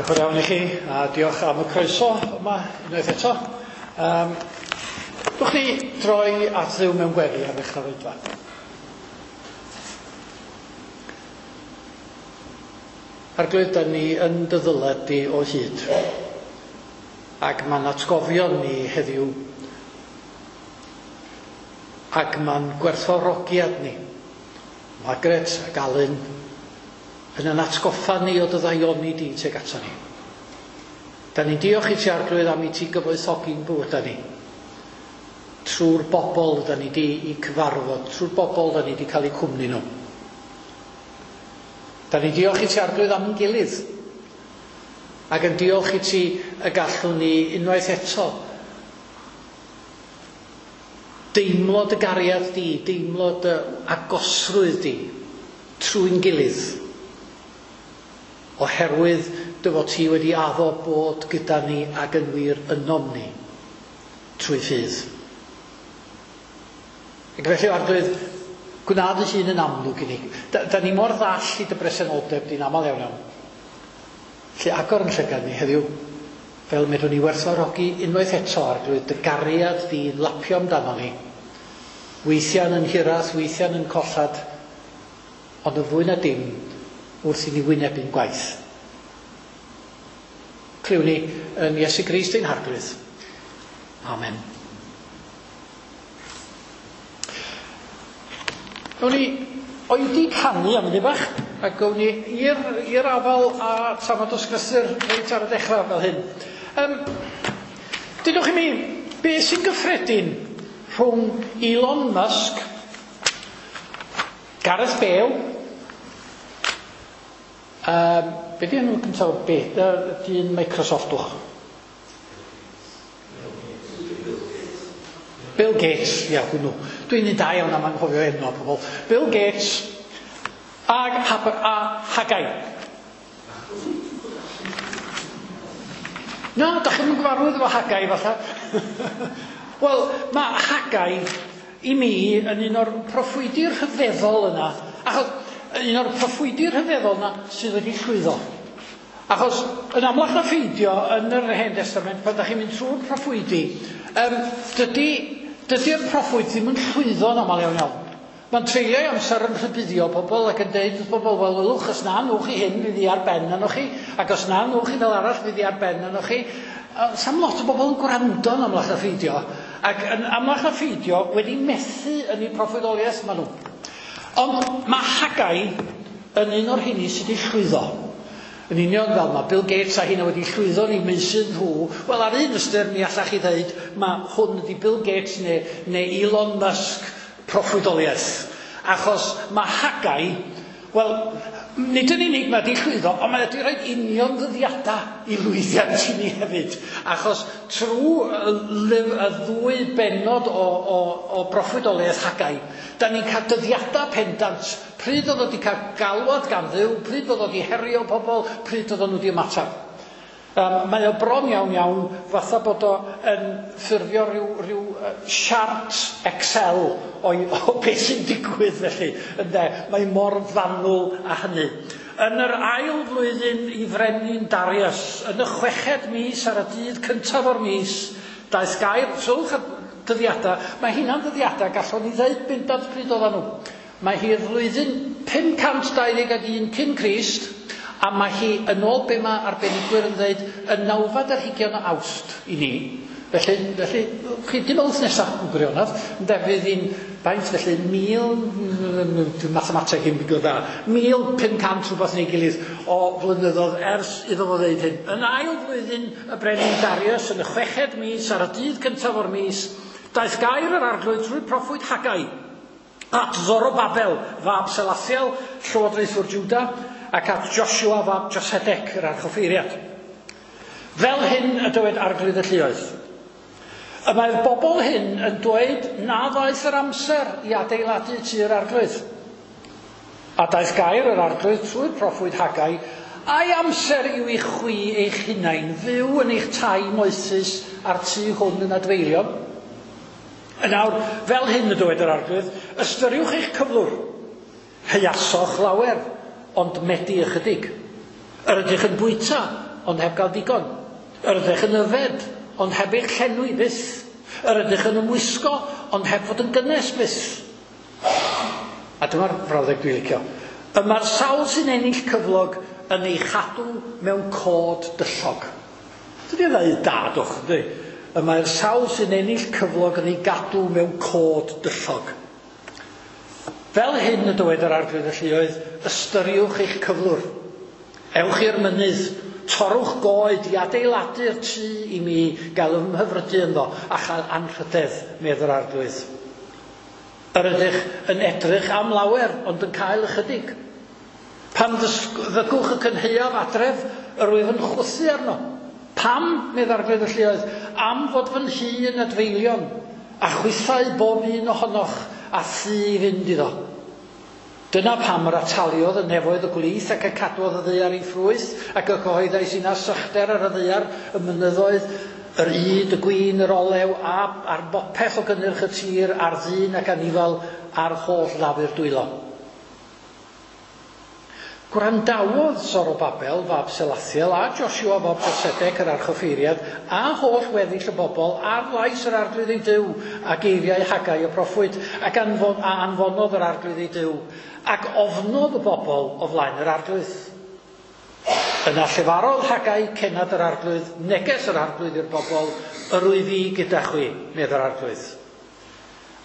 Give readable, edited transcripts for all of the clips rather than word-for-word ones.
Diolch yn fawr iawn i chi, a diolch am y croeso yma unwaith eto. Um, Dwch ni droi at Dduw mewn gweddi ar ddechrau'r oedfa. Arglwydd, da ni yn dy ddyled di o hyd. Ac mae'n atgofion ni heddiw ac mae'n gwerthfawrogiad ni, Margaret ac Alun, yn yn atgoffa ni o dy ddaioni di tuag ato ni. Da ni'n diolch i ti Arglwydd am i ti gyfoethogi'n bywydau ni. Trwy'r bobl da ni di i cyfarfod, trwy'r bobl da ni di cael eu cwmni nhw. Da ni'n diolch i ti Arglwydd am yn gilydd. Ac yn diolch i ti y gallwn ni unwaith eto deimlo dy gariad di, deimlo dy agosrwydd di trwy'n gilydd. Oherwydd dy fod ti wedi addo bod gyda ni ac yn wir ynom ni trwy ffydd. Ac felly, Arglwydd, gwna dy hun yn amlwg i ni. Da, da ni mor ddall i dy bresenoldeb di'n aml iawn iawn. Felly agor yn llygad ni heddiw, fel medrwn ni werthfawrogi unwaith eto, Arglwydd, dy gariad di'n lapio amdano ni. Weithiau yn hiraeth, weithiau yn collad, ond yn fwy na dim wrth i ni wynebu'n gwaith. Clywn ni yn Iesu Grist ein Harglwydd. Amen. Gawn ni oedi canu am munud bach, a gawn ni i'r i'r afal a tamad o sgrythur reit ar y dechrau fel hyn. Um, dudwch i mi, beth sy'n gyffredin rhwng Elon Musk, Gareth Bale, um, be di enw cyntaf be, dyn Microsoft wch? Bill Gates, ia, hwnnw. Dwi'n un da iawn am anghofio enw pobl. Bill Gates ag Hab a Haggai. Na, da chi'n gyfarwydd efo Haggai falle. Wel, mae Haggai i mi yn un o'r proffwydi rhyfeddol yna. Achos un o'r proffwydi rhyfeddol yna sydd wedi llwyddo. Achos yn amlach na pheidio yn yr Hen Testament, pan da chi'n mynd trwy'r proffwydi, um, dydy, dydy'r proffwyd ddim yn llwyddo yn aml iawn iawn. Mae'n treulio ei amser yn rhybuddio pobl ac yn deud wrth bobl, wel, wylwch, os na nwch chi hyn, fydd hi ar ben arnoch chi, ac os na nwch chi fel arall, fydd hi ar ben arnoch chi. Sam lot o bobl yn gwrando yn amlach na pheidio, ac yn amlach na pheidio wedi methu yn eu proffwydoliaeth maen nhw. Ond mae Haggai yn un o'r rheini sydd wedi llwyddo. Yn union fel mae Bill Gates a hynna wedi llwyddo yn eu meysydd nhw, wel ar un ystyr mi allach chi ddeud mae hwn ydi Bill Gates neu, neu Elon Musk proffwydoliaeth. Achos mae Haggai, wel, nid yn unig mae wedi llwyddo, ond mae wedi rhoi union ddyddiadau i lwyddiant i ni hefyd. Achos trwy y, y ddwy bennod o, o, o broffwydoliaeth Haggai, da ni'n cael dyddiadau pendant. Pryd oedd o wedi cael galwad gan Dduw, pryd oedd o wedi herio pobl, pryd oedd nhw wedi ymateb. Um, mae o bron iawn iawn fatha bod o yn ffurfio rhyw, rhyw uh, siart Excel o, o beth sy'n digwydd felly. Ynde? Mae mor fanwl a hynny. Yn yr ail flwyddyn i frenin Darius, yn y chweched mis ar y dydd cyntaf o'r mis, daeth gair, sylwch y dyddiadau, mae hynna'n dyddiadau, gallwn ni ddeud bendant pryd oedden nhw. Mae hi'r flwyddyn 521 cyn Crist, a mae hi yn ôl be mae arbenigwyr yn dweud y nawfed ar hugain o Awst i ni. Felly, felly chi dim ond nesaf yn gwirionedd, ynde, fydd hi'n faint felly, mil, dwi'n mathemateg ddim yn dda, 1500 rhywbeth neu gilydd o flynyddoedd ers iddo fo ddeud hyn. Yn ail flwyddyn y brenin Darius, yn y chweched mis, ar y dydd cyntaf o'r mis, daeth gair yr arglwydd trwy'r proffwyd Haggai at Zorobabel, fab Selathiel, llywodraethwr Juda, ac at Joshua fab Josedec, yr archoffeiriad. Fel hyn y dywed arglwydd y lluoedd. Y mae'r bobl hyn yn dweud na ddaeth yr amser i adeiladu tŷ'r arglwydd. A daeth gair yr arglwydd trwy'r proffwyd Haggai, ai amser yw i chwi eich hunain fyw yn eich tai moethus a'r tŷ hwn yn adfeilion? Yn awr, fel hyn y dywed yr arglwydd, ystyriwch eich cyflwr. Heuasoch lawer, ond medi ychydig. Yr ydych yn bwyta, ond heb gael digon. Yr ydych yn yfed, ond heb eich llenwi byth. Yr ydych yn ymwisgo, ond heb fod yn gynnes byth. A dyma'r frawddeg dwi'n licio. Y mae'r sawl sy'n ennill cyflog yn ei chadw mewn cod dyllog. Dydy o ddeud da, dwch, ynddi? Y mae'r sawl sy'n ennill cyflog yn ei gadw mewn cod dyllog. Fel hyn y dywed yr Arglwydd y Lluoedd, ystyriwch eich cyflwr. Ewch i'r mynydd, torrwch goed i adeiladu'r tŷ i mi gael ymhyfrydu ynddo a chael anrhydedd, medd yr Arglwydd. Yr ydych yn edrych am lawer, ond yn cael ychydig. Pan ddygwch y cynhaeaf adref, yr wyf yn chwythu arno. Pam, medd Arglwydd y Lluoedd, am fod fy nhŷ yn adfeilion, a chwythau bob un ohonoch a thŷ i fynd iddo. Dyna pam yr ataliodd y nefoedd y gwlith ac y cadwodd y ddaear ei ffrwyth, ac y cyhoeddais inna sychder ar y ddaear, y mynyddoedd, yr ŷd, y gwin, yr olew, a ar bopeth o gynnyrch y tir, ar ddyn ac anifal, a'r holl lafur dwylo. Gwrandawodd Zorobabel fab Selathiel a Joshua fab Josedec yr archoffeiriad a holl weddill y bobl ar lais yr Arglwydd eu Duw a geiriau Haggai y proffwyd ac anfon, a anfonodd yr Arglwydd eu Duw ac ofnodd y bobl o flaen yr Arglwydd. Yna llefarodd Haggai cennad yr Arglwydd, neges yr Arglwydd i'r bobl, yr wyf fi gyda chwi, medd yr Arglwydd.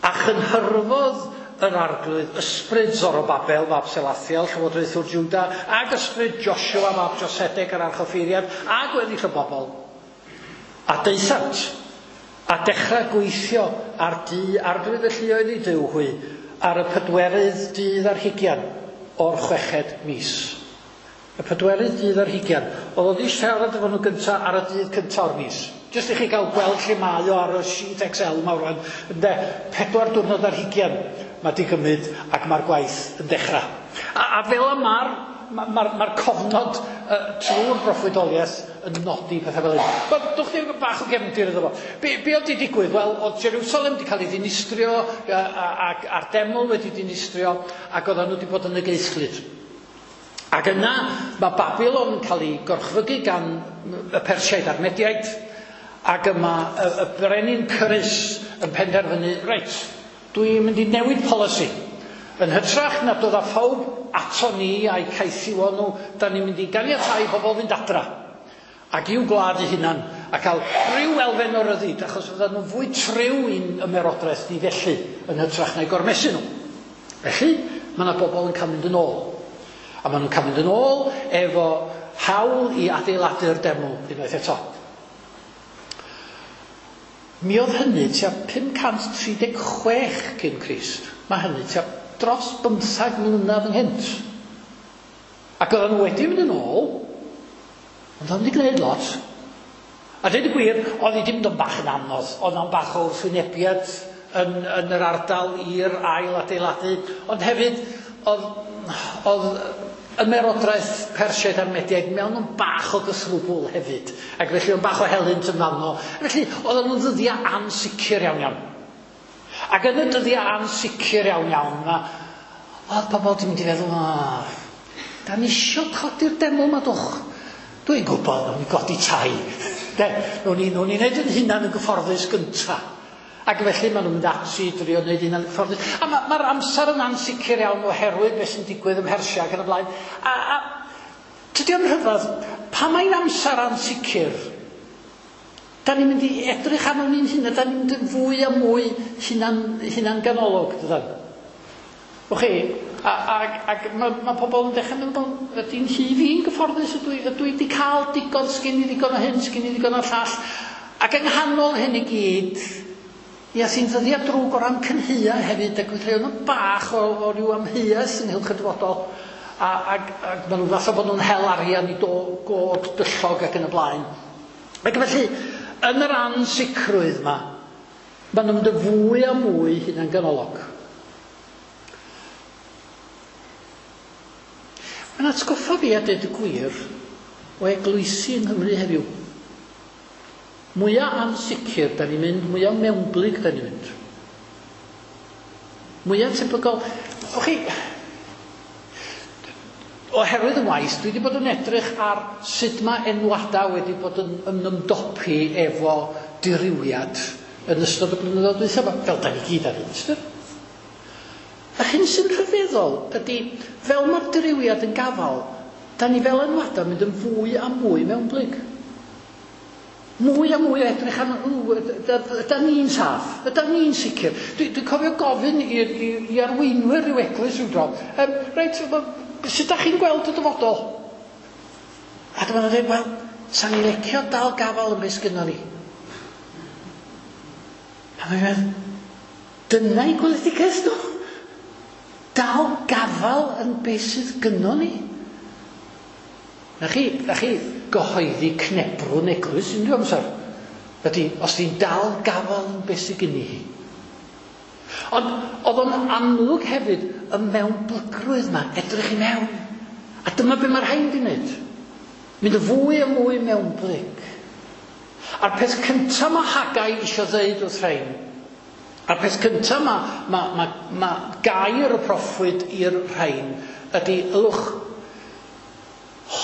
A chynhyrfodd yr Arglwydd ysbryd Zorobabel fab Selathiel, llywodraethwr Juda, ag ysbryd Joshua fab Josedec yr archoffeiriad, a gweddill y bobl. A daethant, a dechrau gweithio ar dŷ Arglwydd y Lluoedd eu Duw hwy, ar y pedwerydd dydd ar hugian o'r chweched mis. Y pedwerydd dydd ar hugian. Oedd o 'di siarad efo nhw gynta ar y dydd cynta o'r mis. Jyst i chi gael gweld lle mae o ar y sheet Excel mawr rwan. Ynde, 4 diwrnod ar hugian mae 'di gymryd ac mae'r gwaith yn dechrau. A fel y mae'r ma, ma, ma cofnod trwy'r broffwydoliaeth yn nodi pethau fel hyn. Wel, dwch chi bach o gefndir iddo fo. Be oedd 'di digwydd? Wel, oedd Jerusalem wedi cael ei ddinistrio ac a'r deml wedi dinistrio ac oedden nhw wedi bod yn y geithlyd. Ac yna mae Babilon yn cael ei gorchfygu gan y Persiaid a'r Mediaid, ac yma y brenin Cyrus yn penderfynu, reit, dwi'n mynd i newid polisi. Yn hytrach na dod â phawb ato ni a'i caethiwo nhw, da ni'n mynd i ganiatáu pobl fynd adra ac i'w gwlad eu hunan a cael rhyw elfen o ryddid, achos fyddan nhw'n fwy triw i'n ymerodraeth ni felly, yn hytrach na'i gormesu nhw. Felly, mae yna bobl yn cael mynd yn ôl. A maen nhw'n cael mynd yn ôl efo hawl i adeiladu'r deml unwaith eto. Mi oedd hynny tua 536 cyn Crist. Mae hynny tua dros 15 mlynedd ynghynt. Ac oedden nhw wedi mynd yn ôl, ond oedden nhw wedi gwneud lot. A dweud y gwir, oedd hi wedi mynd yn bach yn anodd. Oedd o'n bach o wrthwynebiad yn yr ardal i'r ail adeiladu. Ond hefyd, oedd ymerodraeth Persiaid a'r Mediaid mewn yn bach o gythrwbwl hefyd. Ac felly o'n bach o helynt yn fanno. Felly, oedden nhw'n ddyddiau ansicr iawn iawn. Ac yn y dyddiau ansicr iawn iawn, oedd pobl wedi mynd i feddwl, da ni isio codi'r deml ma dwch. Dwi'n gwybod, nawn ni godi tai. De, nawn ni wneud yn hunan yn gyfforddus gynta. Ac felly maen nhw'n mynd ati i drio wneud hunan yn gyfforddus. A mae'r amser yn ansicr iawn oherwydd beth sy'n digwydd ym Mhersia ac yn y blaen. A tydi o'n rhyfedd, pa mae'n amser ansicr, da ni'n mynd i edrych arno ni'n hunan, da ni'n mynd yn fwy a mwy hunan ganolog, dydan? O chi, ac mae pobl yn dechrau meddwl, ydy'n nhŷ fi'n gyfforddus, ydw i wedi cael digon, sgyn i ddigon o hyn, sgyn i ddigon o'r llall. Ac yng nghanol hyn i gyd, ia, sy'n ddyddiau drwg o ran cynhaea hefyd, ac felly oedd bach o ryw amheuaeth ynghylch y dyfodol. Ac maen nhw fatha bod nhw'n hel arian i god dyllog ac yn y blaen. Ac felly, yn yr ansicrwydd yma, maen nhw'n mynd yn fwy a mwy hunanganolog. Mae'n atgoffa fi a dweud y gwir o eglwysi yng Nghymru heddiw. Mwyaf ansicr da ni'n mynd, mwyaf mewnblyg da ni'n mynd. Mwyaf tebygol. O chi, Oherwydd y waith, dwi wedi bod yn edrych ar sut mae enwadau wedi bod yn ymdopi efo dirywiad yn ystod y blynyddoedd dwytha, fel da ni gyd ar un. Yr hyn sy'n rhyfeddol ydy, fel mae'r dirywiad yn gafal, da ni fel enwadau mynd yn fwy a mwy mewnblyg. Mwy a mwy o edrych am, ydan ni'n saff, ydan ni'n sicr. Dwi'n cofio gofyn i arweinwyr rhyw eglwys rhyw dro, reit, sut da chi'n gweld y dyfodol? A dyma nhw'n dweud, wel, sa'n ni licio dal gafal yn beth sgynnon ni. A mae'n meddwl, dyna i gweledigaeth nhw. Dal gafal yn beth sydd gynnon ni. Na chi gyhoeddi cnebrwn eglwys unrhyw amser. Ydy, os ti'n dal gafal yn beth sydd gynni hi. Ond oedd o'n amlwg hefyd y mewnblygrwydd yma, edrych i mewn. A dyma be mae'r rhain di wneud. Mynd yn fwy a mwy mewnblyg. A'r peth cyntaf mae Haggai eisiau ddeud wrth rhain, a'r peth cyntaf mae gair y proffwyd i'r rhain ydy, ylwch,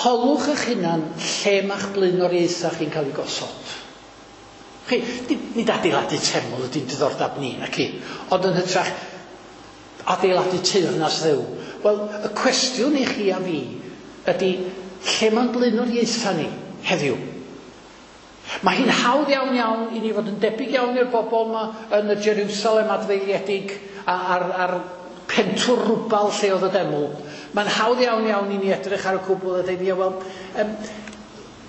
holwch eich hunan lle mae'ch blaenoriaethau chi'n cael ei gosod. Chi, nid adeiladu teml ydy'n diddordeb ni, nac i, ond yn hytrach adeiladu teyrnas Dduw. Wel, y cwestiwn i chi a fi ydy, lle mae'n blaenoriaethau ni heddiw? Mae hi'n hawdd iawn iawn i ni fod yn debyg iawn i'r bobl yma yn y Jerusalem adfeiliedig a'r pentwr rwbal lle oedd y deml. Mae'n hawdd iawn iawn i ni edrych ar y cwbl a dweud, ia, wel,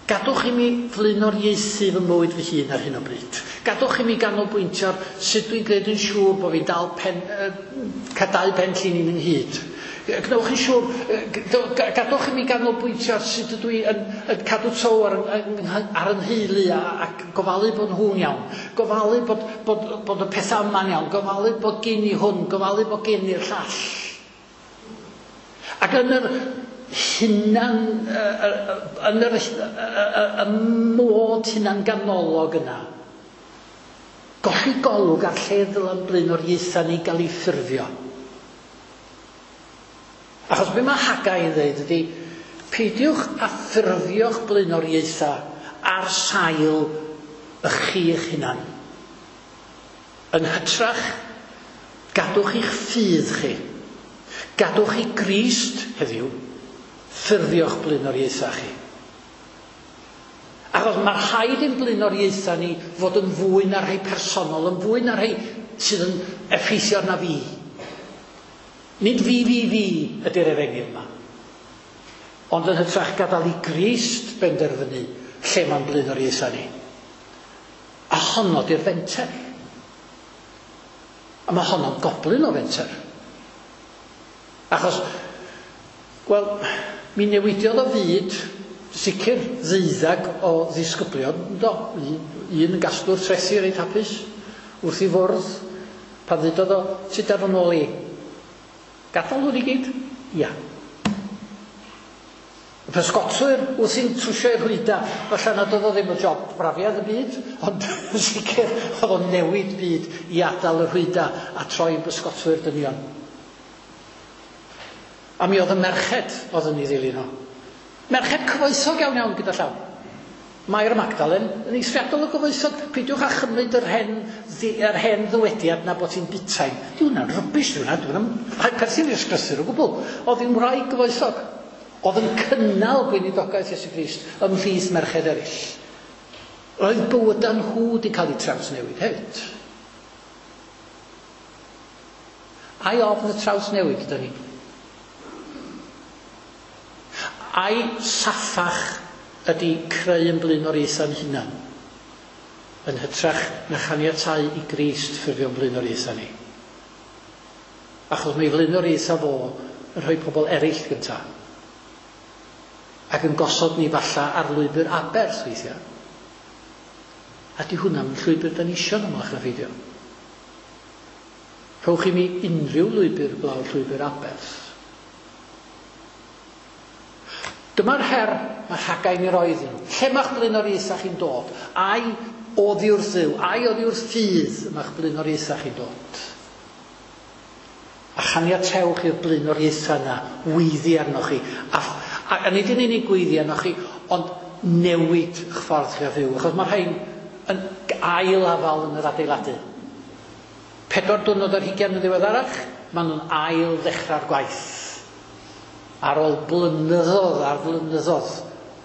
gadwch i mi flaenoriaethu fy mywyd fy hun ar hyn o bryd. Gadwch i mi ganolbwyntio ar sut dwi'n gwneud yn siŵr bod fi'n dal cael dau pen llinyn ynghyd. Gwnewch yn siŵr, gadwch i mi ganolbwyntio ar sut ydw i yn cadw tow ar yn nheulu ac gofalu bod nhw'n iawn. Gofalu bod y pethau yma'n iawn. Gofalu bod gen i hwn, gofalu bod gen i'r llall. Ac yn yr hunan, yn yr y mod hunan ganolog yna, golli golwg ar lle ddyla'n blaenoriaethau ni gael ei ffurfio. Achos be mae Haggai yn dweud ydy, peidiwch â ffurfio'ch blaenoriaethau ar sail y chi eich hunan. Yn hytrach, gadwch i'ch ffydd chi. Gadwch i Grist heddiw ffurfio'ch blaenoriaethau chi. Achos mae rhaid i'n blaenoriaethau ni fod yn fwy na rhai personol, yn fwy na rhai sydd yn effeithio arna fi. Nid fi, fi, fi ydy'r efengyl yma. Ond yn hytrach gadael i Grist benderfynu lle mae'n blaenoriaethau ni. A honno di'r fenter. A mae honno'n goblyn o fenter. Achos, wel, mi newidiodd o fyd, sicr ddeuddag o ddisgyblion, do, un yn gasglwr trethi reit hapus, wrth i fwrdd, pan ddudodd o, sut ar fy nôl i? Gadael hwn i gyd? Ia. Y pysgotwyr wrth i'n trwsio i'r rhwyda, falle nad oedd o ddim y job brafiad y byd, ond sicr oedd o'n newid byd i adael y rhwyda a troi yn bysgotwyr dynion. A mi oedd y merched oedd yn ei ddilyn o. Merched cyfoethog iawn iawn gyda llaw. Mair Magdalen yn eithriadol o gyfoethog. Peidiwch â chymryd yr hen ddywediad na bod hi'n butain. Di hwnna'n rubbish, di hwnna. Di hwnna'n perthyn i'r ysgrythur o gwbl. Oedd hi'n wraig gyfoethog. Oedd yn cynnal gweinidogaeth Iesu Grist ymhlith merched eraill. Roedd bywydau nhw wedi cael eu trawsnewid hefyd. Ai ofn y trawsnewid ydy ni? Ai saffach ydy creu yn blaenoriaethau'n hunan, yn hytrach na chaniatáu i Grist ffurfio'n blaenoriaethau ni. Achos mae flaenoriaethau fo yn rhoi pobl eraill gyntaf, ac yn gosod ni falla ar lwybr aberth weithiau. A di hwnna'n llwybr da ni isio yn amlach na pheidio. Rhowch i mi unrhyw lwybr blaw'r llwybr aberth. Dyma'r her mae Haggai yn ei roi iddyn nhw. Lle mae'ch blaenoriaethau chi'n dod? Ai oddi wrth Dduw, ai oddi wrth ffydd mae'ch blaenoriaethau chi'n dod? A chaniatewch i'r blaenoriaethau yna weiddi arnoch chi. A nid yn unig gweiddi arnoch chi, ond newid eich ffordd chi o fyw. Achos mae rhain yn ail afal yn yr adeiladu. 24 diwrnod yn ddiweddarach, maen nhw'n ail ddechrau'r gwaith. Ar ôl blynyddoedd ar flynyddoedd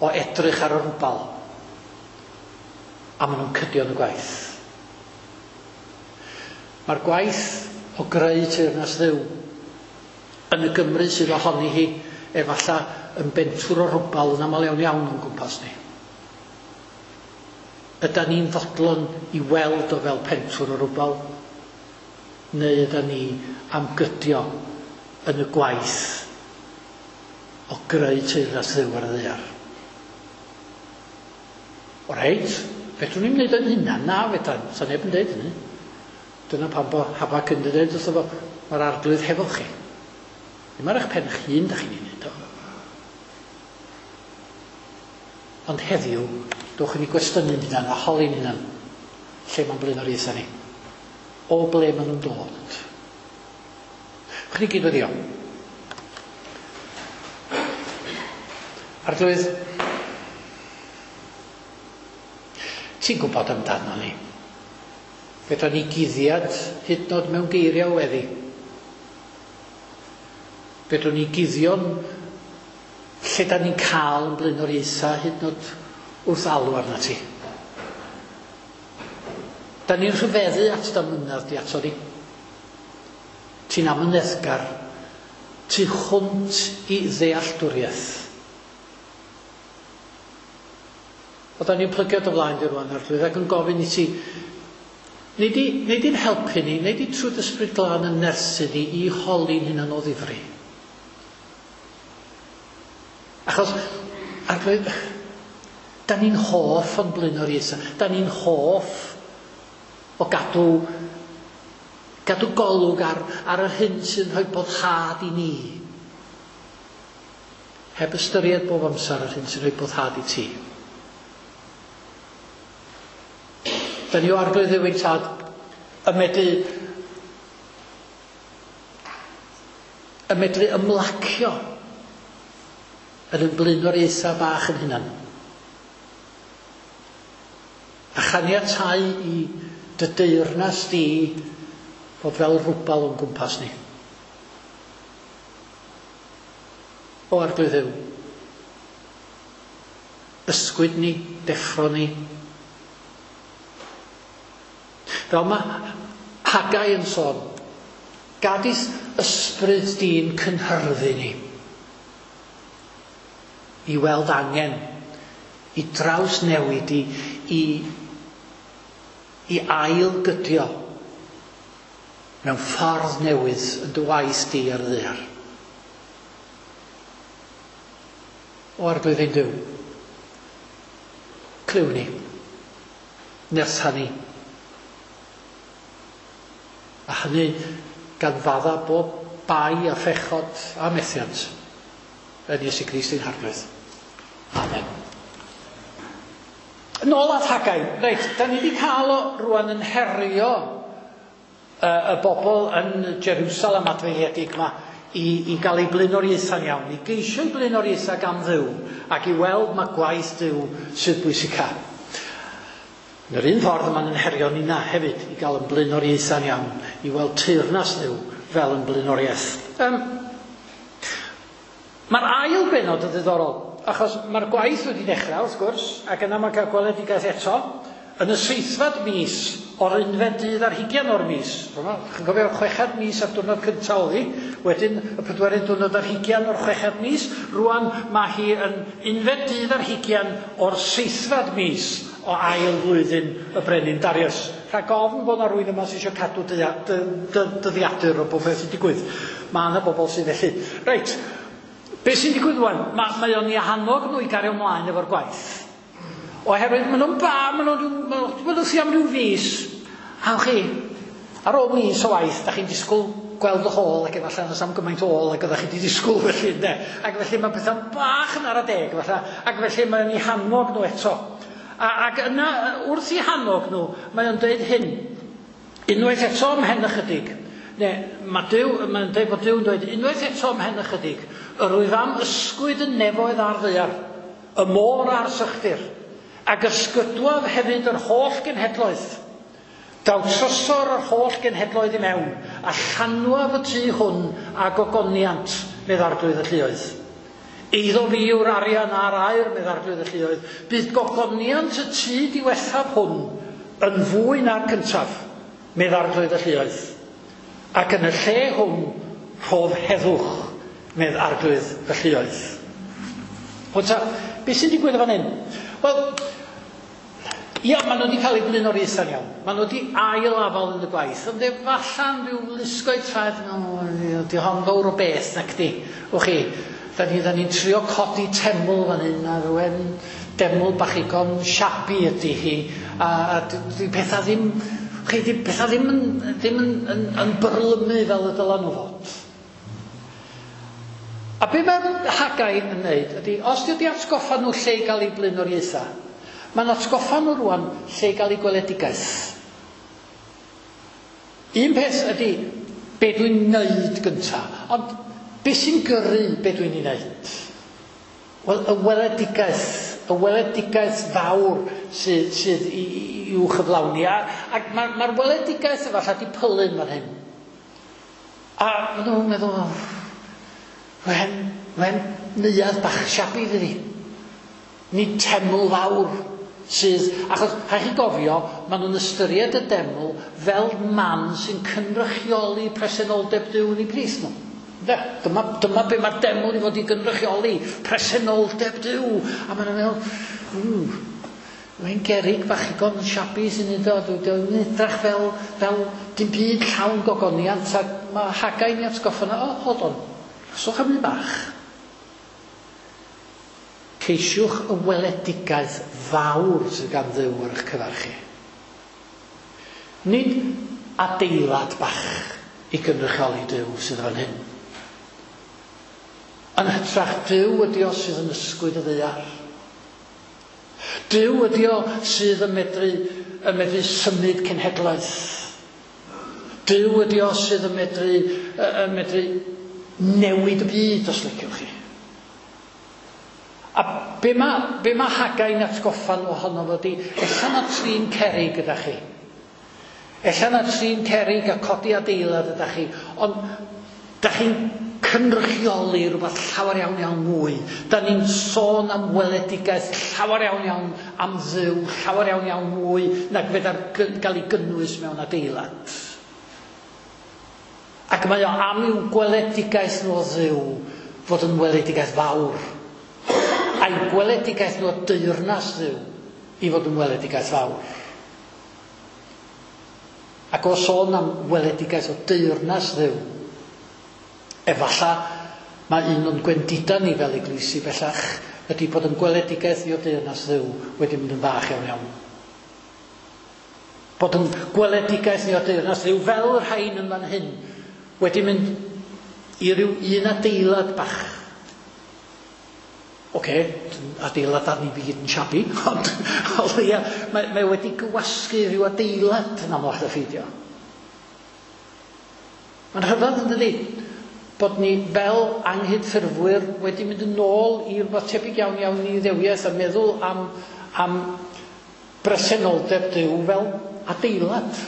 o edrych ar y rwbal. A maen nhw'n cydio yn y gwaith. Mae'r gwaith o greu teyrnas Dduw yn y Gymru sydd ohoni hi efallai yn bentwr o rwbal yn aml iawn iawn o'n gwmpas ni. Ydan ni'n fodlon i weld o fel pentwr o rwbal? Neu ydan ni am gydio yn y gwaith o greu teyrnas Dduw ar y ddaear? O reit, fedrwn ni'm wneud o'n hunan, na fedran, sa neb yn deud hynny. Dyna pam bo Habac yn dweud wrtho fo, mae'r Arglwydd hefo chi. Ddim ar eich pen eich hun da chi'n ei wneud o. Ond heddiw, dowch i ni gwestiynu'n hunan a holi'n hunan lle mae'n blaenoriaethau ni. O ble maen nhw'n dod. Chwn ni gyd weddio. Arglwydd, ti'n gwybod amdano ni. Fedra ni guddiad hyd yn oed mewn geiriau o weddi. Fedrwn ni guddio'n lle da ni'n cael yn blaenoriaethau hyd yn oed wrth alw arna ti. Da ni'n rhyfeddu at d'amynedd di ato ni. Ti'n amyneddgar tu hwnt i ddealltwriaeth. O da ni'n plygio dy flaen di rwan, Arglwydd, ac yn gofyn i ti, nei di, nei di'n helpu ni, nei di trwy dy Ysbryd Glân yn nerthu ni i holi'n hunan o ddifri. Achos, Arglwydd, da ni'n hoff o'n blaenoriaethau. Da ni'n hoff o gadw golwg ar yr hyn sy'n rhoi boddhad i ni. Heb ystyried bob amser yr hyn sy'n rhoi boddhad i ti. Da ni o Arglwydd Dduw ein Tad yn medru ymlacio yn ein blaenoriaethau bach yn hunan. A chaniatáu i dy deyrnas di fod fel rwbal o'n gwmpas ni. O Arglwydd Dduw, ysgwyd ni, deffro ni. Fel mae Haggai yn sôn, gad i'th ysbryd di'n cynhyrfu ni i weld angen, i drawsnewid, i ailgydio mewn ffordd newydd yn dy waith di ar y ddaear. O Arglwydd ein Duw, clyw ni, nertha ni, a hynny gan fadda bob bai a phechod a methiant yn Iesu Grist ein Harglwydd. Amen. Nôl at Haggai. Reit, da ni wedi cael o rwan yn herio y bobl yn Jerusalem adfeiliedig yma i gael eu blaenoriaethau'n iawn, i geisio eu blaenoriaethau gan Dduw ac i weld mae gwaith Duw sydd bwysica. Yn yr un ffordd yma'n yn herio nina hefyd i gael yn blaenoriaethau'n iawn, i weld teyrnas Dduw fel yn blaenoriaeth. Mae'r ail benod yn ddiddorol, achos mae'r gwaith wedi dechrau, wrth gwrs, ac yna mae'n cael gweledigaeth eto, yn y 7fed mis o'r 11 dydd ar 20 o'r mis. Chi'n cofio'r 6fed mis a'r diwrnod cyntaf oedd hi, wedyn y 4 diwrnod ar 20 o'r 6fed mis, rwan mae hi yn 11 dydd ar 20 o'r 7fed mis o ail flwyddyn y brenin Darius. Rhag ofn bod yna rywun yma sydd eisiau cadw dyddiadur o bob beth sy'n digwydd. Mae yna bobl sydd felly. Reit, beth sy'n digwydd rwan? Mae o'n i annog nhw i gario ymlaen efo'r gwaith. Oherwydd maen nhw'n maen nhw'n am ryw fis. A chi, ar ôl mis o waith, da chi'n disgwyl gweld y hôl, ac efallai na sam gymaint o ôl ac oeddech chi wedi disgwyl felly, ynde. Ac felly mae pethau'n bach yn ara deg, efallai, ac felly mae'n eu hannog nhw eto. Ac yna, wrth eu hannog nhw, mae o'n dweud hyn. Unwaith eto ymhen ychydig, Neu, mae Duw, mae'n dweud bod Duw yn dweud, unwaith eto ymhen ychydig, yr wyf am ysgwyd y nefoedd a'r ddaear, y môr a'r sychdir, ac ysgydwaf hefyd yr holl genhedloedd. Daw trysor yr holl genhedloedd i mewn, a llanwaf y tŷ hwn â gogoniant, medd Arglwydd y lluoedd. Eiddo fi yw'r arian a'r aur, medd Arglwydd y lluoedd. Bydd gogoniant y tŷ diwethaf hwn yn fwy na'r cyntaf, medd Arglwydd y lluoedd. Ac yn y lle hwn rhof heddwch, medd Arglwydd y lluoedd. Wel ta, beth sy'n digwydd yn fan hyn? Wel, ia, maen nhw wedi cael eu blaenoriaethau'n iawn. Maen nhw wedi ail afal yn y gwaith, ond efalla'n rhyw lusgo'u traed, no, di hon fawr o beth, nac di. Wch chi, da ni'n ni trio codi teml fan hyn, a rhywun deml bach igon shabby ydy hi, a di pethau ddim, chi, di pethau ddim yn, ddim yn, yn, yn byrlymu fel y dylan nhw fod. A be mae Haggai yn wneud ydy, os di wedi atgoffa nhw lle i gael eu blaenoriaethau, mae'n atgoffa nhw rwan lle i gael eu gweledigaeth. Un peth ydy, be dwi'n neud gynta, ond be sy'n gyrru be dwi'n ei wneud? Wel, y weledigaeth fawr sydd, sydd i'w chyflawni. Ac mae'r ma weledigaeth efallai di pylu'n fan hyn. A maen nhw'n meddwl, wen neuadd bach shabby fydd hi. Nid teml fawr sydd, achos rhaid chi gofio, maen nhw'n ystyried y deml fel man sy'n cynrychioli presenoldeb Duw yn eu plith nhw. Ynde? Dyma, dyma be mae'r deml i fod i gynrychioli, presenoldeb Duw. A maen nhw'n meddwl, mae'n gerig bach igon shabby sy'n neud o, dwi'n edrych fel, fel dim byd llawn gogoniant, ac mae Hagai'n ei atgoffa nhw, oh, hold on, swch am un bach. Ceisiwch y weledigaeth fawr sydd gan Dduw ar eich cyfer chi. Nid adeilad bach i gynrychioli Duw sydd fan hyn. Yn hytrach, Duw ydi o sydd yn ysgwyd y ddaear. Duw ydi o sydd yn medru, yn medru symud cenhedlaeth. Duw ydi o sydd yn medru, yn medru newid y byd, os liciwch chi. A be mae, be mae Hagai'n atgoffa nhw ohono fo di, ella na trin cerig gyda chi. Ella na trin cerig a codi adeilad ydych chi, ond da chi'n cynrychioli rhywbeth llawer iawn iawn mwy. Da ni'n sôn am weledigaeth llawer iawn iawn am Dduw, llawer iawn iawn mwy nag fedar gael ei gynnwys mewn adeilad. Ac mae o am i'w gweledigaeth nhw o Dduw fod yn weledigaeth fawr. A'i gweledigaeth nhw o deyrnas Dduw i fod yn weledigaeth fawr. Ac o sôn am weledigaeth o deyrnas Dduw, efallai mae un o'n gwendida ni fel eglwysi bellach ydy bod yn gweledigaeth ni o deyrnas Dduw wedi mynd yn fach iawn iawn. Bod yn gweledigaeth ni o deyrnas Dduw fel y rhain yn fan hyn wedi mynd i ryw un adeilad bach. Oce, adeilad arni fi gyd yn shabby, ond o leia, mae, mae wedi gywasgu rhyw adeilad yn amlach na pheidio. Mae'n rhyfedd yn dydi, bod ni fel anghydffurfwyr wedi mynd yn ôl i rhywbeth tebyg iawn iawn i Iddewiaeth a meddwl am, am bresenoldeb Duw fel adeilad.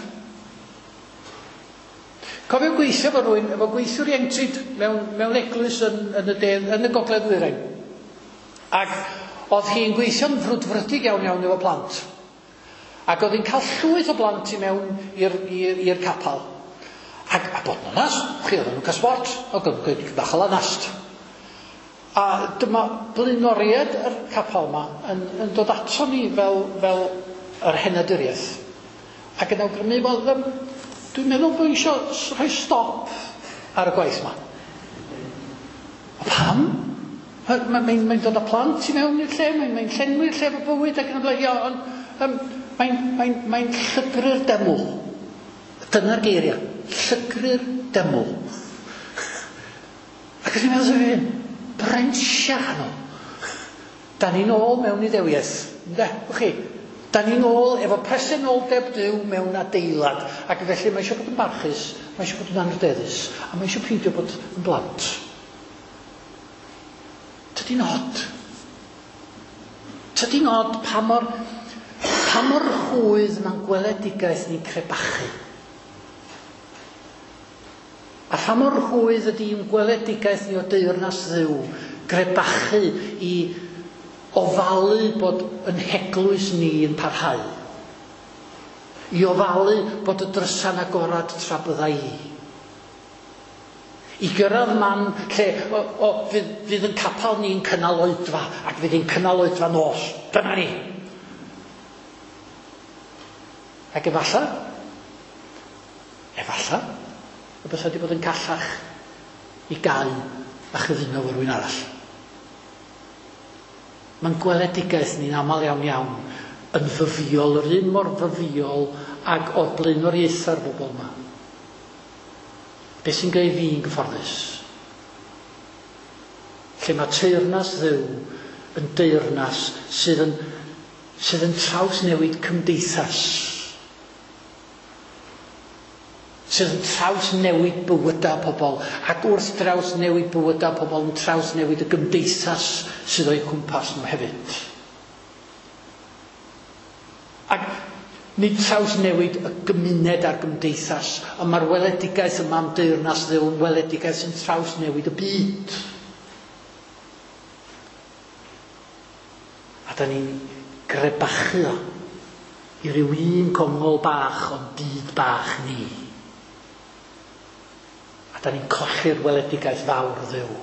Cofio gweithio efo rhywun, efo gweithiwr ieuenctid mewn, mewn eglwys yn, yn, y de, yn y gogledd ddwyrain. Ac oedd hi'n gweithio'n frwdfrydig iawn iawn efo plant. Ac oedd hi'n cael llwyth o blant i mewn i'r capel. Ac a bod yn onast, chi oedden nhw'n cael sport, oedd yn bach o lanast. A dyma blaenoriaid yr capel yma yn, yn dod ato ni fel, fel yr henaduriaeth. Ac yn awgrymu, wel, dwi'n meddwl bod eisiau rhoi stop ar y gwaith yma. O pam? Mae'n mae, mae dod â plant i mewn i'r lle, mae'n mae llenwi'r lle efo bywyd ac yn y blaen. Ia, ond um, mae'n mae, mae llygru'r deml. Dyna'r geiriau. Llygru'r deml. Ac ydyn ni'n meddwl hyn, brensia nhw. Da ni'n ôl mewn Iddewiaeth. Ynde, wch chi? Da ni'n ôl efo presenoldeb Duw mewn adeilad, ac felly mae eisiau bod yn barchus, mae eisiau bod yn anrhydeddus, a mae eisiau peidio bod yn blant. Tydi'n od. Tydi'n od pa mor, pa mor rhwydd mae'n gweledigaeth ni'n crebachu. A pha mor rhwydd ydy i'n gweledigaeth ni o deyrnas Dduw grebachu i ofalu bod yn heglwys ni yn parhau. I ofalu bod y drysa'n agorad tra bydda i. I gyrraedd man lle o, o, fydd, fydd yn capel ni'n cynnal oedfa ac fydd hi'n cynnal oedfa nos. Dyna ni. Ac efallai, efallai, y bysa wedi bod yn callach i gau a chyfuno efo rhywun arall. Mae'n gweledigaeth ni'n aml iawn iawn yn fyfiol, yr un mor fyfiol ag oedd blaenoriaethau'r bobl yma. Be sy'n gwneud fi'n gyfforddus? Lle mae teyrnas Dduw yn deyrnas sydd yn, sydd yn trawsnewid cymdeithas. Sydd yn trawsnewid bywydau pobl, ac wrth drawsnewid bywydau pobl yn trawsnewid y gymdeithas sydd o'u cwmpas nhw hefyd. Ac nid trawsnewid y gymuned a'r gymdeithas, ond mae'r weledigaeth yma am deyrnas Dduw yn weledigaeth sy'n trawsnewid y byd. A da ni'n grebachu o i ryw un congol bach o'n byd bach ni. A da ni'n colli'r weledigaeth fawr Dduw.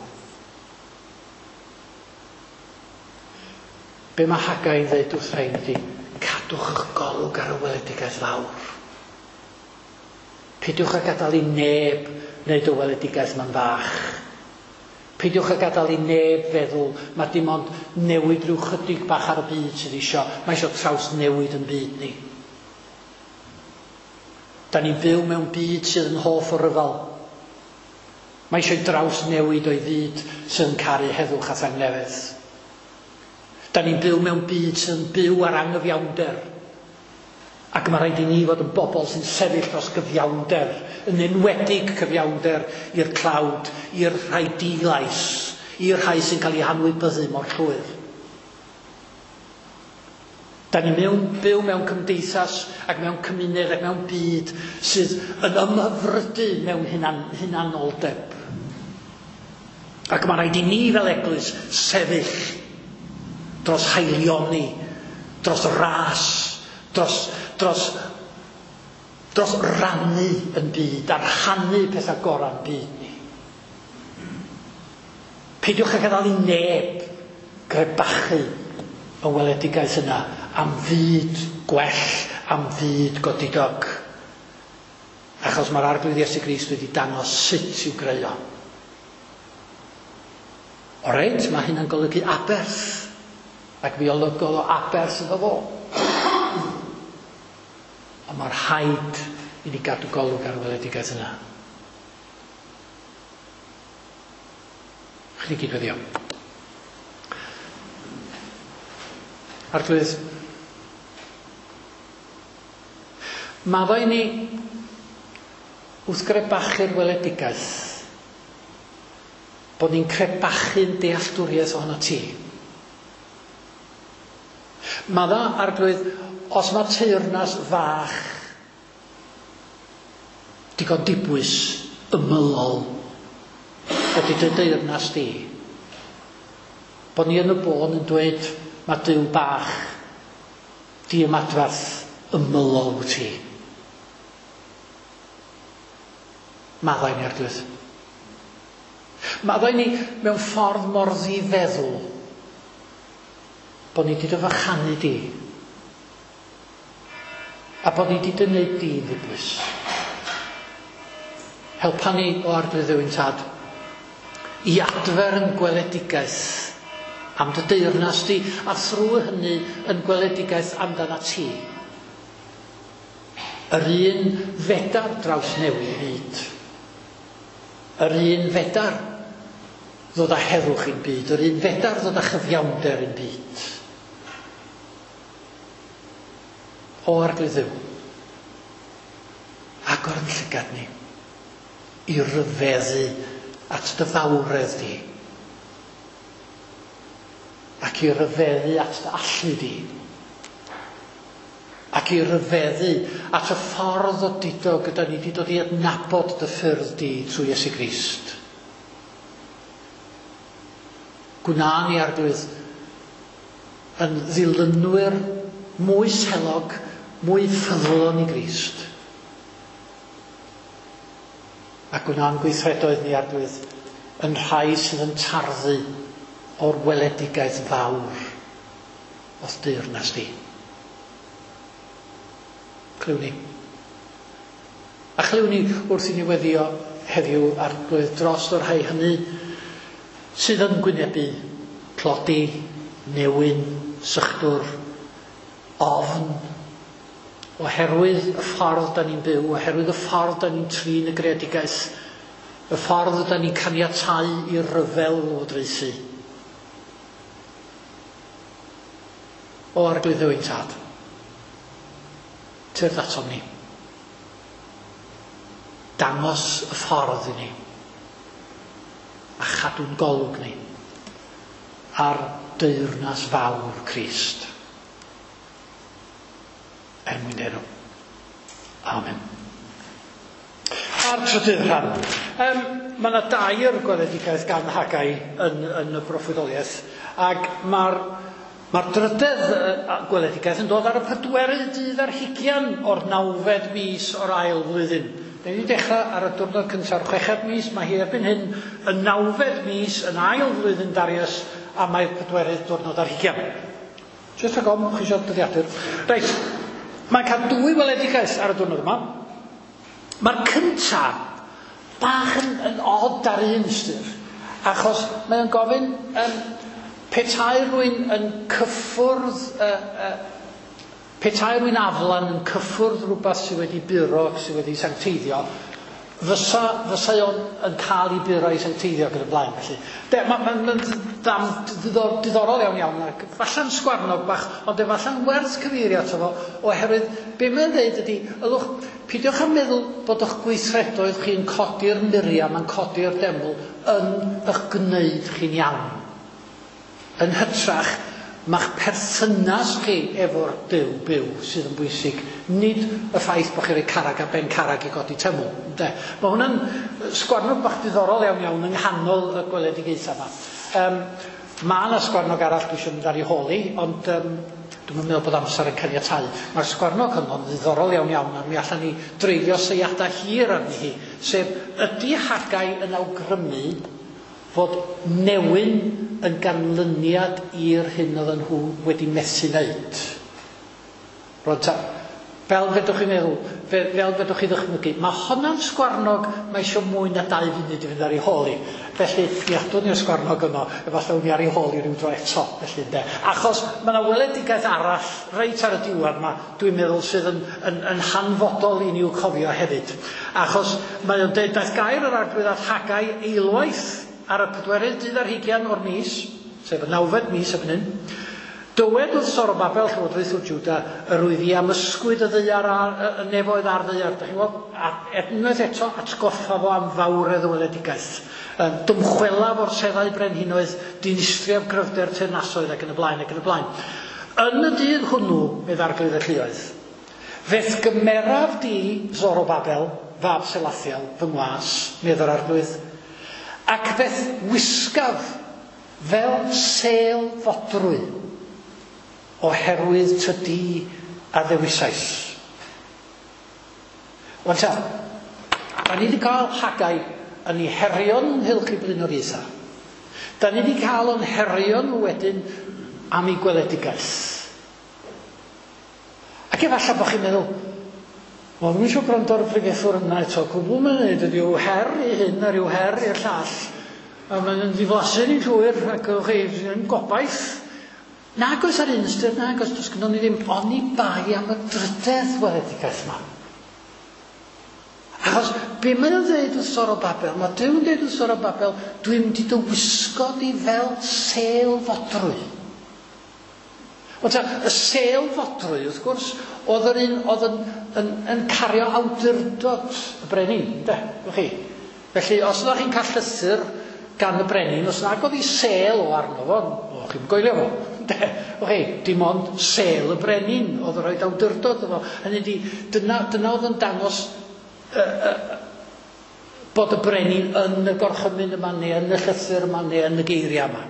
Be mae Hagai'n dweud wrth rhain ydy, cadwch eich golwg ar y weledigaeth fawr. Peidiwch â gadael i neb wneud y weledigaeth ma'n fach. Peidiwch â gadael i neb feddwl mae dim ond newid rhyw chydig bach ar y byd sydd isio. Mae isio trawsnewid yn byd ni. Da ni'n byw mewn byd sydd yn hoff o ryfel. Mae eisiau drawsnewid o'i fyd sydd yn caru heddwch a thangnefedd. Da ni'n byw mewn byd sydd yn byw ar angyfiawnder. Ac mae rhaid i ni fod yn bobl sy'n sefyll dros gyfiawnder, yn enwedig cyfiawnder i'r tlawd, i'r rhai di-lais, i'r rhai sy'n cael eu hanwybyddu mor llwyr. Da ni'n mewn, byw mewn cymdeithas ac mewn cymuned ac mewn byd sydd yn ymhyfrydu mewn hunan, hunanoldeb. Ac mae rhaid i ni fel eglwys sefyll dros haelioni, dros ras, dros, dros, dros rannu yn byd a rhannu pethau gorau'n byd ni. Peidiwch â gadael i neb grebachu y weledigaeth yna am fyd gwell, am fyd godidog. Achos mae'r Arglwydd Iesu Grist wedi dangos sut i'w greu o. O reit, mae hynna'n golygu aberth. Ac mi olygodd o aberth iddo fo. Ond mae'r rhaid i ni gadw golwg ar y weledigaeth yna. Chdi gyd weddio. Arglwydd, maddau ni wrth grebachu'r weledigaeth bod ni'n crebachu'n dealltwriaeth ohono ti. Madda, Arglwydd, os mae teyrnas fach digon dibwys ymylol ydy dy deyrnas di, bod ni yn y bôn yn dweud mae Duw bach diymadferth ymylol wyt ti. Maddau ni, Arglwydd. Maddau ni mewn ffordd mor ddifeddwl bod ni wedi dy fychanu di a bod ni wedi dy wneud di'n ddibwys. Helpa ni o Arglwydd Dduw'n Tad i adfer yn gweledigaeth am dy deyrnas di a thrwy hynny yn gweledigaeth amdana ti. Yr un fedar drawsnewid byd. Yr un fedar ddod â heddwch i'n byd. Yr un fedar ddod â chyfiawnder i'n byd. O Arglwydd Dduw, agor yn llygad ni i ryfeddu at dy fawredd di ac i ryfeddu at dy allu di ac i ryfeddu at y ffordd odidog gyda ni wedi dod i adnabod dy ffyrdd di trwy Iesu Grist. Gwna ni, Arglwydd, yn ddilynwyr mwy selog, mwy ffyddlon i Grist. A gwna'n gweithredoedd ni, Arglwydd, yn rhai sydd yn tarddu o'r weledigaeth fawr o'th deyrnas di. Clywn ni. A chlywn ni wrth i ni weddio heddiw, Arglwydd, dros y rhai hynny sydd yn gwynebu tlodi, newyn, sychdwr, ofn, oherwydd y ffordd da ni'n byw, oherwydd y ffordd da ni'n trin y greadigaeth, y ffordd da ni'n caniatáu i'r rhyfel lywodraethu. O Arglwydd Dduw ein Tad, tyrd atom ni. Dangos y ffordd i ni a chadw'n golwg ni ar deyrnas fawr Crist. Er mwyn dy enw. Amen. A'r trydydd rhan. Mae yna dair gweledigaeth gan Haggai yn y broffwydoliaeth, ac mae'r ma drydedd gweledigaeth yn dod ar y pedwerydd dydd ar hugian o'r nawfed mis o'r ail flwyddyn. Da ni wedi dechrau ar y diwrnod cyntaf o'r chweched mis, mae hi erbyn hyn y nawfed mis yn ail flwyddyn Darius, a mae'r pedwerydd diwrnod ar hugian. Jyst rhag ofn, chi eisiau dyddiadur. Reit, mae'n cael dwy weledigaeth ar y diwrnod yma. Mae'r cyntaf bach yn od ar un ystyr, achos mae o'n gofyn petai rhywun yn cyffwrdd, petai rhywun aflan yn cyffwrdd rhywbeth sydd wedi buro, sydd wedi sancteiddio, fysa o'n yn cael ei buro i sancteiddio ac yn y blaen. Felly, mae'n diddorol iawn iawn, ac falle'n sgwarnog bach, ond efalla'n werth cyfeirio ato fo, oherwydd be mae'n dweud ydy, ylwch, peidiwch â meddwl bod eich gweithredoedd chi'n codi'r muriau, mae'n codi'r deml, yn eich gwneud chi'n iawn. Yn hytrach, mae'ch perthynas chi efo'r Duw byw sydd yn bwysig, nid y ffaith bod chi'n rhoi carrag ar ben carrag i godi teml. Ynde? Mae hwnna'n sgwarnog bach diddorol iawn iawn yng nghanol y gweledigaethau yma. Mae yna sgwarnog arall dwi eisiau mynd ar ei hôl i, ond dwi'm yn meddwl bod amser yn caniatáu. Mae'r sgwarnog honno'n ddiddorol iawn iawn, a mi allan ni dreulio seiadau hir arni hi, sef ydy Haggai yn awgrymu fod newyn yn ganlyniad i'r hyn oedden nhw wedi methu wneud. Rwan ta, fel fedrwch chi meddwl, fel fedrwch chi ddychmygu, mae honna'n sgwarnog, mae eisiau mwy na 2 funud i fynd ar ei hôl i. Felly, mi adwn ni'r sgwarnog yno, efallai wn i ar ei hôl i ryw dro eto, felly ynde. Achos mae yna weledigaeth arall reit ar y diwedd yma, dwi'n meddwl sydd yn hanfodol i ni i'w cofio hefyd. Achos mae o'n deud, daeth gair yr Arglwydd at Haggai eilwaith ar y pedwerydd dydd ar hugian o'r mis, sef y nawfed mis erbyn hyn, dywed wrth Zorobabel, llywodraethwr Jwda, yr wyf i am ysgwyd y ddaear a'r y nefoedd a'r ddaear. Dach chi'n gweld, a unwaith eto atgoffa fo am fawredd y weledigaeth. Dymchwelaf o'r seddau brenhinoedd, dinistriaf gryfder teyrnasoedd ac yn y blaen ac yn y blaen. Yn y dydd hwnnw, medd Arglwydd y Lluoedd, fe'th gymeraf di, Zorobabel, fab Selathiel, fy ngwas, medd yr Arglwydd, ac fe'th wisgaf fel sêl fodrwy, oherwydd tydi a ddewisais. Wan ta, da ni wedi cael Haggai yn ei herio'n ynghylch i blaenoriaethau. Da ni wedi cael o'n herio nhw wedyn am ei gweledigaeth. Ac efallai bod chi'n meddwl, wel, dwi'm eisiau gwrando ar y pregethwr yna eto, cwbl mae'n neud ydy yw her i hyn a rhyw her i'r llall. A mae'n ddiflasu ni'n llwyr, ac ewch chi, yn gobaith. Nag oes ar un ystyr, nag oes, does gynnon ni ddim oni bai am y drydedd weledigaeth yma. Achos be mae o'n dweud wrth Zorobabel, mae Duw'n dweud wrth Zorobabel, dwi'n mynd i dy wisgo di fel sêl fodrwy. Ond ta, y sêl fodrwy, wrth gwrs, oedd yr un oedd yn, yn, yn cario awdurdod y brenin, ynde? Chi? Felly, os ydych chi'n cael llythyr gan y brenin, os nag oedd ei sêl o arno fo, o, chi'n goelio fo. Ynde? Chi, dim ond sêl y brenin oedd yn rhoi awdurdod iddo. Hynny ydi, dyna, dyna oedd yn dangos bod y brenin yn y gorchymyn yma, neu yn y llythyr yma, neu yn y geiriau yma.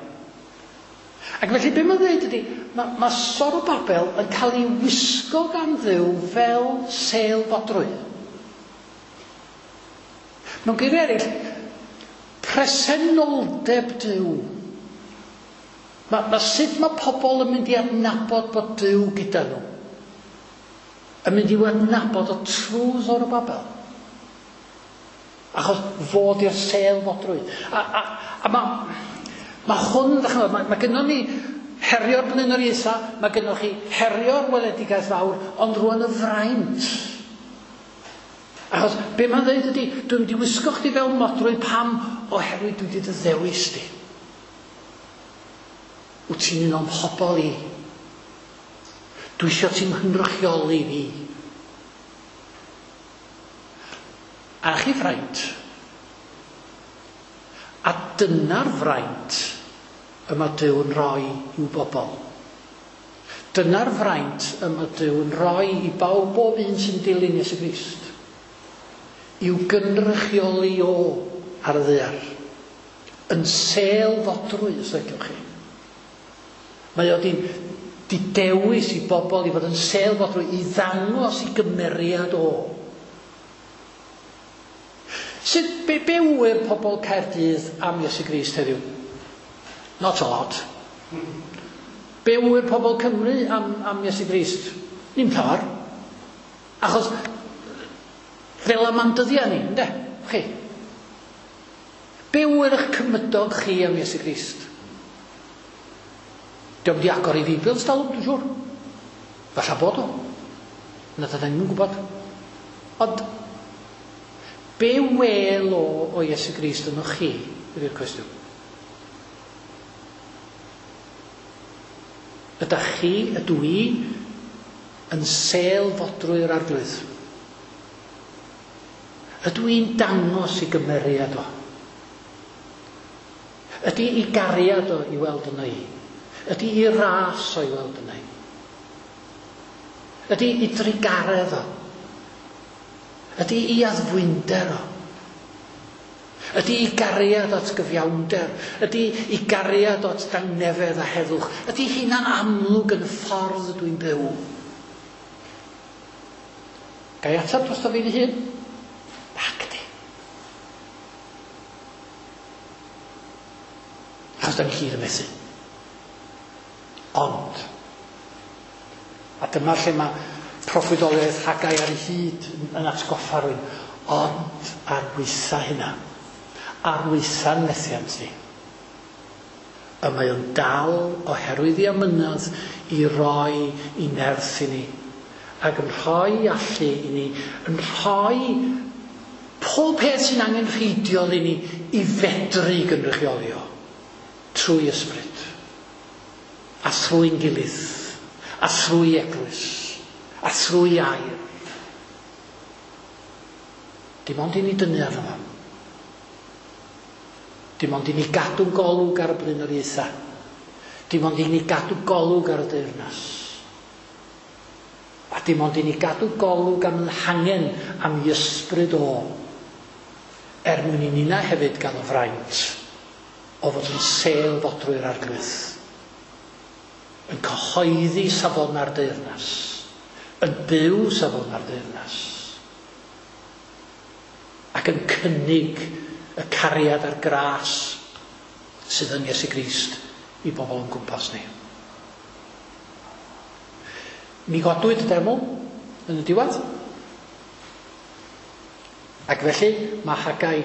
Ac felly be mae'n dweud ydy, mae, mae Zorobabel yn cael ei wisgo gan Dduw fel sêl fodrwy. Mewn geiriau eraill, presenoldeb Duw. Mae, mae sut mae pobl yn mynd i adnabod bod Duw gyda nhw. Yn mynd i'w adnabod o trwy Zorobabel. Achos fod i'r sêl fodrwy. A, a, a mae, mae hwn, ddech chi'n mae, mae gynnon ni herio'r blaenoriaethau, mae gynnoch chi herio'r weledigaeth fawr, ond rwan y fraint. Achos be mae'n dweud ydy, dwi'n mynd i wisgo chdi fel modrwy pam oherwydd dwi wedi dy ddewis di. Wyt ti'n un o'm mhobol i. Dwi eisiau ti'n nghynrychioli fi. A chi fraint. A dyna'r fraint y mae Duw'n rhoi i'w bobl. Dyna'r fraint y mae Duw'n rhoi i bawb bob un sy'n dilyn Iesu Grist. I'w gynrychioli o ar y ddaear. Yn sêl fodrwy, os ydych chi. Mae o di, di dewis i bobl i fod yn sêl fodrwy, i ddangos i gymeriad o. Sut, be, be wyr pobl Caerdydd am Iesu Grist heddiw? Not a lot. Be wyr pobl Cymru am, am Iesu Grist? Dim llawer. Achos fel am am dyddiau ni, yndê? Chi. Be wyr eich cymydog chi am Iesu Grist? Dio'm di agor ei Feibl ers talwm, dwi'n siŵr. Falla bod o. Na dydyn ni'n gwybod. Ond be wel o o Iesu Grist yno chi, ydy'r cwestiwn. Ydych chi, ydw i, yn sêl fodrwy'r arglwydd? Ydw i'n dangos i gymeriad o? Ydy i gariad o i weld yno i? Ydy i ras o i weld yno i? Ydy i drugaredd o? Ydy i addfwynder o? Ydy i gariad at gyfiawnder? Ydy i gariad at dangnefedd a heddwch? Ydy hynna'n amlwg yn y ffordd ydw i'n byw? Ga i ateb drosto fi fy hun? Nac ydy. Achos da ni gyd yn methu. Ond, a dyma lle mae proffwydoliaeth Haggai ar ei hyd yn atgoffa rhywun, ond ar waetha hynna, ar waetha'n methiant ni, y mae o'n dal oherwydd ei amynedd i roi i nerth i ni, ac yn rhoi allu i ni, yn rhoi pob peth sy'n angenrheidiol i ni i fedru gynrychioli o, trwy ysbryd, a thrwy'n gilydd, a thrwy eglwys, a thrwy air. Dim ond i ni dynnu arno fo. Dim ond i ni gadw golwg ar y blaenoriaethau. Dim ond i ni gadw golwg ar y deyrnas. A dim ond i ni gadw golwg am yn hangen am i ysbryd o. Er mwyn i nina hefyd gael y fraint o fod yn sêl fodrwy'r arglwydd. Yn cyhoeddi safona'r deyrnas. Yn byw safona'r deyrnas. Ac yn cynnig y cariad a'r gras sydd yn Iesu Grist i bobl yn gwmpas ni. Mi godwyd y deml yn y diwedd. Ac felly mae Haggai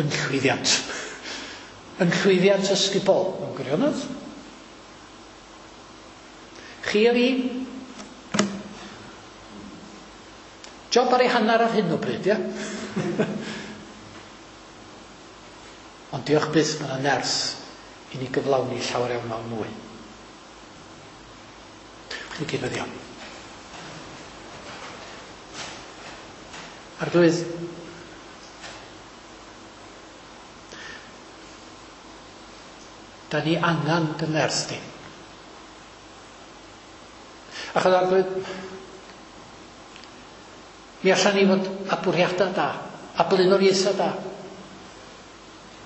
yn llwyddiant. Yn llwyddiant ysgubol, mewn gwirionedd. Chi a fi, job ar ei hanner ar hyn o bryd, ia? Ond diolch byth, mae yna nerth i ni gyflawni llawer iawn mawr mwy. I gyd-weddïo. Arglwydd, da ni angen dy nerth di. Achos Arglwydd, mi allan ni fod â bwriadau da, a blaenoriaethau da.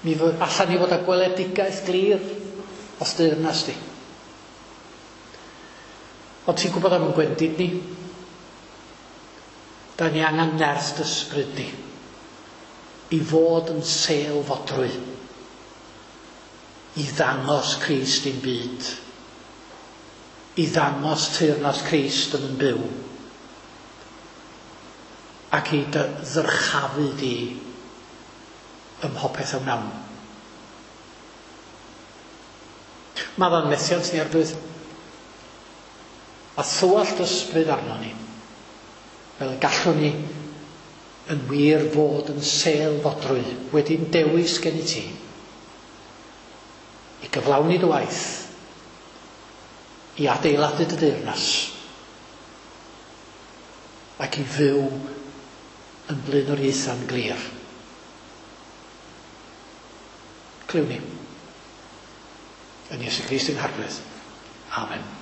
Mi allan ni fod â gweledigaeth glir o'th deyrnas di. Ond ti'n gwybod am yn gwendid ni. Da ni angen nerth dy ysbryd di i fod yn sêl fodrwy, i ddangos Crist i'n byd, i ddangos teyrnas Crist yn yn byw, ac i dy ddyrchafu di ym mhopeth a wnawn. Maddau'n methiant ni, Arglwydd, a thywallt ysbryd arno ni, fel y gallwn ni yn wir fod yn sêl fodrwy wedi'n dewis gen i ti, i gyflawni dy waith, i adeiladu dy deyrnas, ac i fyw yn blaenoriaethau'n glir. Clyw ni. Yn Iesu Grist ein Harglwydd. Amen.